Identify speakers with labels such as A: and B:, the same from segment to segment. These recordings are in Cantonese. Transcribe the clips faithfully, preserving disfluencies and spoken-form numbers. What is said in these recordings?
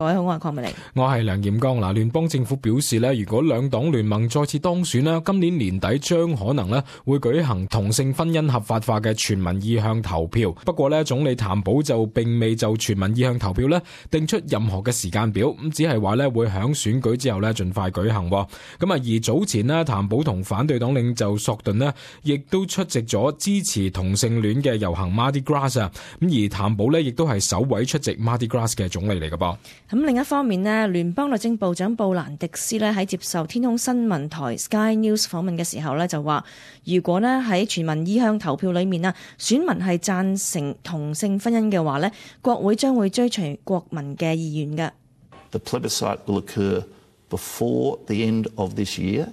A: 各位好，我係鄺美玲，
B: 我係梁劍剛。嗱，聯邦政府表示咧，如果兩黨聯盟再次當選咧，今年年底將可能咧會舉行同性婚姻合法化嘅全民意向投票。不過咧，總理譚寶就並未就全民意向投票咧定出任何嘅時間表，咁只係話咧會響選舉之後咧盡快舉行。咁啊，而早前咧譚寶同反對黨領袖索頓咧亦都出席咗支持同性戀嘅遊行 Mardi Gras 啊。咁而譚寶咧亦都係首位出席 Mardi Gras 嘅總理嚟嘅噃。
A: 咁另一方面呢，聯邦律政部長布蘭迪斯呢喺接受天空新聞台 Sky News 訪問嘅時候呢就話，如果呢喺全民意向投票裏面啊，選民係贊成同性婚姻嘅話呢，國會將會追隨國民嘅意願嘅。
C: The plebiscite will occur before the end of this year.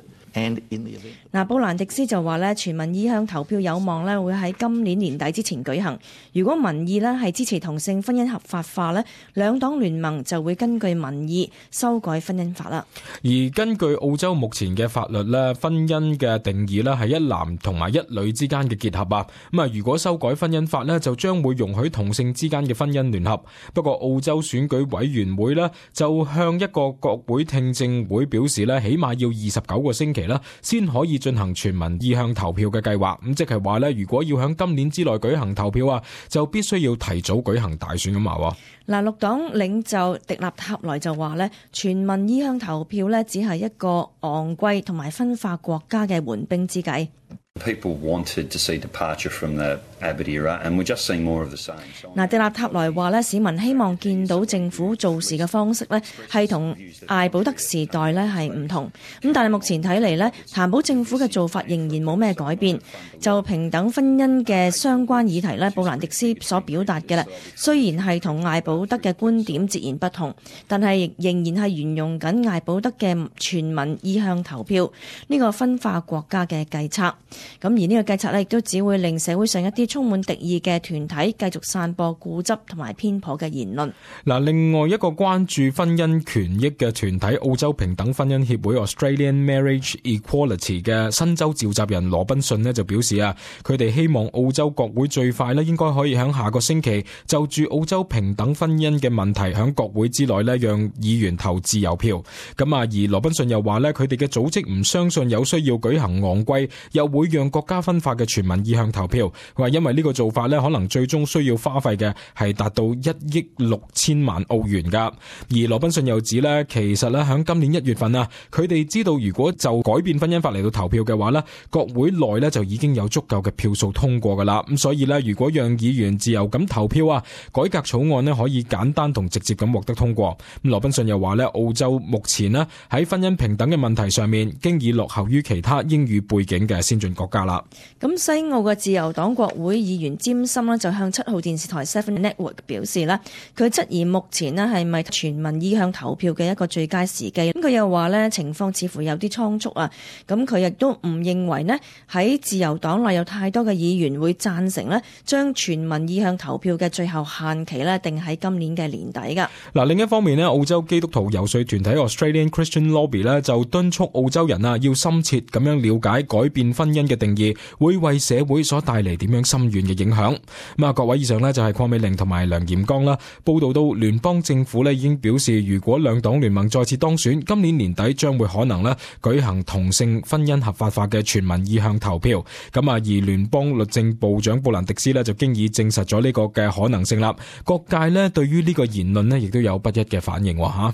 A: 嗱，布蘭迪斯就話咧，全民意向投票有望咧會喺今年年底之前舉行。如果民意咧係支持同性婚姻合法化咧，兩黨聯盟就會根據民意修改婚姻法啦。
B: 而根據澳洲目前嘅法律咧，婚姻嘅定義咧係一男同埋一女之間嘅結合啊。咁啊，如果修改婚姻法咧，就將會容許同性之間嘅婚姻聯合。不過澳洲選舉委員會咧就向一個國會聽證會表示咧，起碼要二十九個星期先可以進行全民意向投票嘅計劃，咁即係話咧，如果要喺今年之內舉行投票啊，就必須要提早舉行大選咁話。
A: 嗱，綠黨領袖迪納塔萊就話咧，全民意向投票咧只係一個昂貴同埋分化國家嘅緩兵之計。
D: People wanted to see departure from the Abbott era, and we're just seeing more of the same.
A: 嗱，迪納塔萊話咧，市民希望見到政府做事嘅方式咧，係同艾保德時代咧係唔同。咁但係目前睇嚟咧，譚寶政府嘅做法仍然冇咩改變。就平等婚姻嘅相關議題咧，布蘭迪斯所表達嘅咧，雖然係同艾保德嘅觀點截然不同，但係仍然係沿用緊艾保德嘅全民意向投票呢個分化國家嘅計策。咁而呢個計策咧，亦都只會令社會上一啲充滿敵意嘅團體繼續散播固執同埋偏頗嘅言論。
B: 嗱，另外一個關注婚姻權益嘅團體澳洲平等婚姻協會 Australian Marriage Equality 嘅新州召集人羅賓遜呢就表示啊，佢哋希望澳洲國會最快呢應該可以喺下個星期就住澳洲平等婚姻嘅問題喺國會之內呢讓議員投自由票。咁啊，而羅賓遜又話呢，佢哋嘅組織唔相信有需要舉行昂貴又會讓國家分化嘅全民意向投票。佢話因為呢個做法呢可能最終需要花費嘅係達到一億六千萬澳元噶。而羅賓遜又指呢，其實呢喺今年一月份啊，佢哋知道如果就改變婚姻法嚟到投票嘅話呢，國會內呢就已經有足夠嘅票數通過噶啦。咁所以呢，如果讓議員自由咁投票啊，改革草案呢可以簡單同直接咁獲得通過。咁羅賓遜又話呢，澳洲目前呢喺婚姻平等嘅問題上面，經已落後於其他英語背景嘅先進國家啦。
A: 咁西澳嘅自由黨國會議員詹森呢就向七號電視台 Seven Network 表示呢，佢質疑目前呢係咪全民意向投票嘅一個最佳時機。咁佢又話呢，情況似乎有啲倉促啊。咁佢亦都唔認為呢喺自由黨內有太多嘅議員會贊成呢將全民意向投票嘅最後限期呢定喺今年嘅年底噶。
B: 嗱，另一方面呢，澳洲基督徒遊說團體 Australian Christian Lobby 呢就敦促澳洲人啊要深切咁樣了解改變婚姻嘅定義會為社會所帶嚟點樣深遠嘅影響。咁啊，各位，以上呢就係鄺美玲同埋梁劍剛啦。報道到聯邦政府呢已經表示，如果兩黨聯盟再次當選，今年年底將會可能呢舉行同性婚姻合法化嘅全民意向投票。咁啊，而聯邦律政部長布蘭迪斯呢就經已證實咗呢個嘅可能性啦。各界呢對於呢個言論呢亦都有不一嘅反應吓。